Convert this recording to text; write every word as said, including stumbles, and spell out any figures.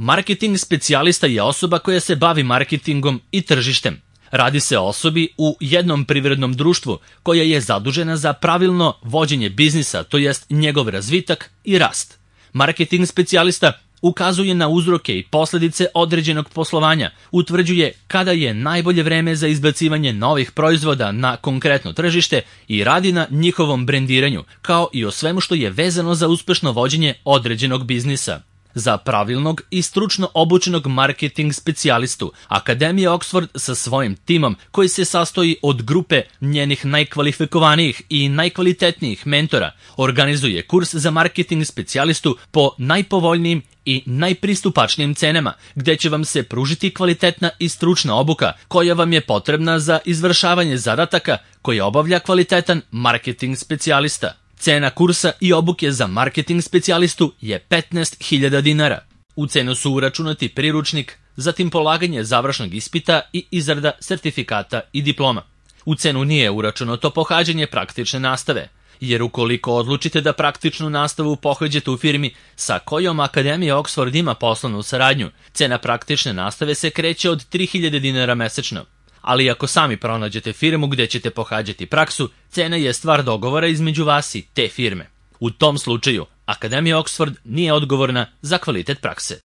Marketing specijalista je osoba koja se bavi marketingom i tržištem. Radi se o osobi u jednom privrednom društvu koja je zadužena za pravilno vođenje biznisa, to jest njegov razvitak i rast. Marketing specijalista ukazuje na uzroke i posledice određenog poslovanja, utvrđuje kada je najbolje vreme za izbacivanje novih proizvoda na konkretno tržište i radi na njihovom brendiranju, kao i o svemu što je vezano za uspešno vođenje određenog biznisa. Za pravilnog i stručno obučenog marketing specijalistu, Akademija Oxford sa svojim timom, koji se sastoji od grupe njenih najkvalifikovanijih i najkvalitetnijih mentora, organizuje kurs za marketing specijalistu po najpovoljnijim i najpristupačnijim cenama, gde će vam se pružiti kvalitetna i stručna obuka koja vam je potrebna za izvršavanje zadataka koje obavlja kvalitetan marketing specijalista. Cena kursa i obuke za marketing specijalistu je petnaest hiljada dinara. U cenu su uračunati priručnik, zatim polaganje završnog ispita i izrada sertifikata i diploma. U cenu nije uračunato pohađanje praktične nastave, jer ukoliko odlučite da praktičnu nastavu pohađate u firmi sa kojom Akademija Oxford ima poslovnu saradnju, cena praktične nastave se kreće od tri hiljade dinara mesečno. Ali ako sami pronađete firmu gde ćete pohađati praksu, cena je stvar dogovora između vas i te firme. U tom slučaju, Akademija Oxford nije odgovorna za kvalitet prakse.